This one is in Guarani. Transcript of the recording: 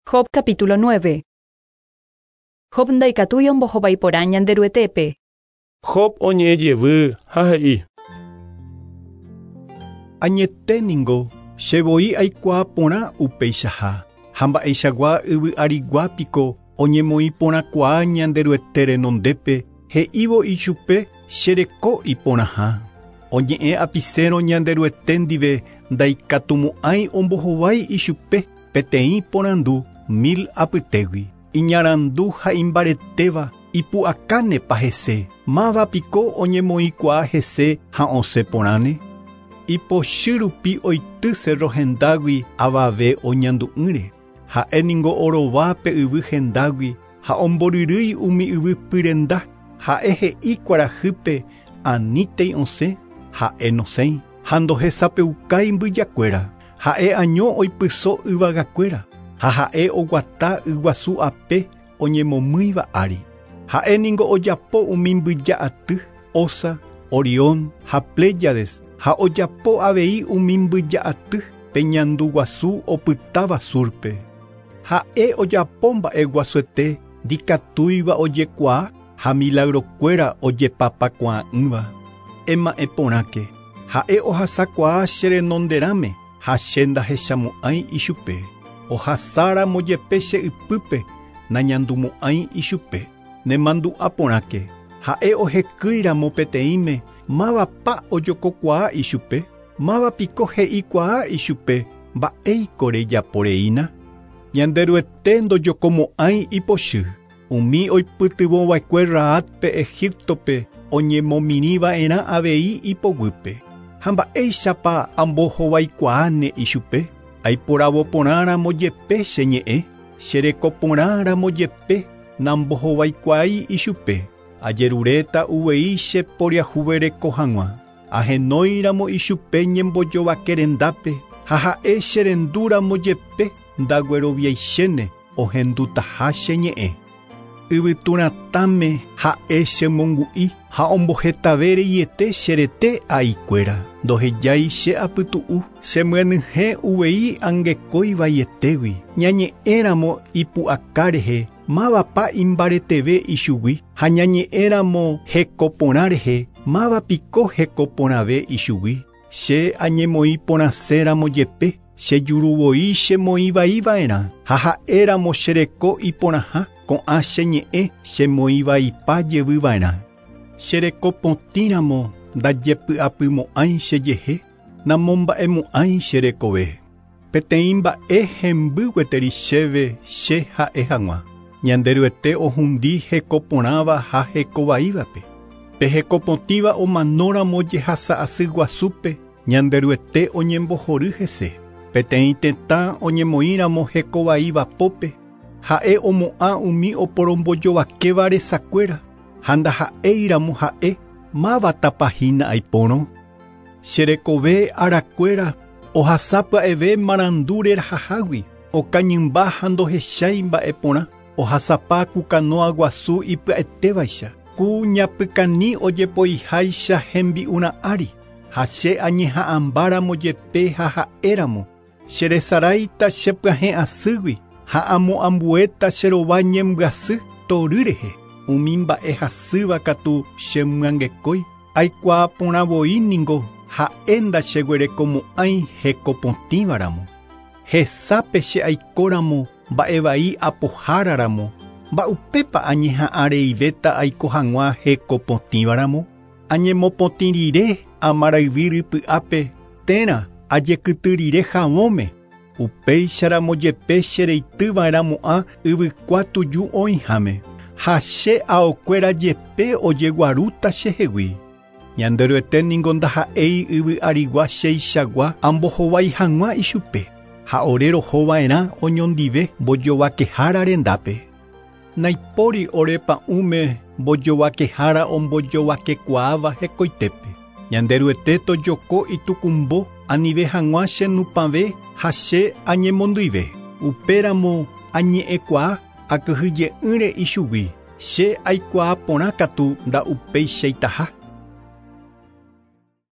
Job capítulo 9. Job ndaikatúi ombohovái porã Ñanderuetépe. Job oñe'ẽ jevy ha he'i. Añete ningo, che voi aikuaa porã upeichaha, ha mba'eichagua yvy arigua piko oñemoĩ porãkuaa Ñanderuete renondépe he'ívo ichupe che reko iporãha. Oñe'ẽ apisérõ Ñanderuete ndive ndaikatumo'ãi ombohovái ichupe peteĩ porandu mil apytégui. Iñarandu ha imbaretéva ipu'akánepa hese, máva piko oñemoĩkuaa hese ha osẽ porãne. Ipochy rupi oity cerro hendágui avave oñandu'ỹre. Ha'e ningo orova pe yvy hendágui ha omboryrýi umi yvy pyrenda. Ha'e he'i kuarahýpe anítei osẽ, ha'e nosẽi ha ndohesapeukái mbyjakuéra. Ha'e año oipyso yvagakuéra ha ha'e oguata yguasu ape oñemomýiva ári. Ha'e ningo ojapo umi mbyja aty, Osa, Orión ha Pléyades ha ojapo avei umi mbyja aty pe ñandu guasu opytáva surpe. Ha'e ojapo mba'e guasuete ndikatúiva ojekuaa ha milagrokuéra ojepapakuaa'ỹva. Ema'ẽ porãke, ha'e ohasakuaa che renonderãme ha che ndahechamo'ãi ichupe. Ohasáramo jepe che ypýpe nañandumo'ãi ichupe. Nemandu'a porãke, ha'e ohekýiramo peteĩme mávapa ojokokuaa ichupe, máva piko he'ikuaa ichupe mba'éiko rejaporeína. Ñanderuete ndojokomo'ãi ipochy. Umi oipytyvõva'ekue Raátpe Egiptope oñemomirĩva'erã avei ipoguýpe. Ha mba'éichapa ambohovaikuaáne ichupe, aiporavo porãramo jepe che ñe'ẽ, che reko porãramo jepe nambohovaikuaái ichupe. Ajeruréta uvei che poriahuvereko hag̃ua. Ahenóiramo ichupe ñembojovake rendápe ha ha'e che rendúramo jepe ndagueroviaichéne ohendutaha che ñe'ẽ. Yvyturatãme ha'e chemongu'i ha ombohetave reiete che rete aikuéra. Ndohejái che apytu'u, chemyenyhẽ uvei angekói vaietégui. Ñañe'ẽramo ipu'aka rehe, mávapa imbareteve ichugui, ha ñañe'ẽramo heko porã rehe, máva piko heko porãve ichugui. Che añemoĩ porãséramo jepe, che juruvoi chemoĩvaiva'erã, ha ha'éramo che reko iporãha, ko'ã che ñe'ẽ chemoĩvaipa jevyva'erã. Che reko potĩramo ndajepy'apymo'ãi chejehe, namomba'emo'ãi che rekove. Peteĩ mba'e hemby gueteri chéve che ha'e hag̃ua. Ñanderuete ohundi heko porãva ha hekovaívape. Pe heko potĩva omanóramo jehasa asy guasúpe, Ñanderuete oñembohory hese. Peteĩ tetã oñemoĩramo hekovaíva pópe, ha'e omo'ã umi oporombojovakéva resakuéra, ha ndaha'éiramo ha'e mávatapa hína aipórõ. Che rekove arakuéra ohasa pya'eve marandu rerahahágui, okañymba ha ndohechái mba'e porã, ohasapa ku kanoa guasu ipya'etévaicha, ku ñapykani ojepoiháicha hembi'urã ári, ha che añeha'ãmbáramo jepe ha ha'éramo, che resaráita che pyahẽ asýgui ha amoambuéta che rova ñembyasy tory rehe. Umi mba'e hasýva katu chemyangekói, aikuaa porã voi ningo ha'e ndacheguerekomo'ãi hekopotĩvaramo. Hesápe che aikóramo mba'evai apoháraramo, mba'upépa añeha'ãreivéta aiko hag̃ua hekopotĩvaramo. Añemopotĩ rire amarayvi rypy'ápe térã ajekyty rire havõme, upéicharamo jepe chereityva'erãmo'ã yvykua tuju oĩháme, ha che aokuéra jepe ojeguarúta chehegui. Ñanderuete ningo ndaha'éi yvy arigua cheichagua ambohovái hag̃ua ichupe, ha ore rohova'erã oñondive mbojovakehára rendápe. Naipóri ore pa'ũme mbojovakehára ombojovakekuaáva hekoitépe. Ñanderuete tojoko itukumbo anive hag̃ua che nupãve ha che añemondýive. Upéramo añe'ẽkuaa akyhyje'ỹre ichugui. Che aikuaa porã katu nda'upeichaitaha.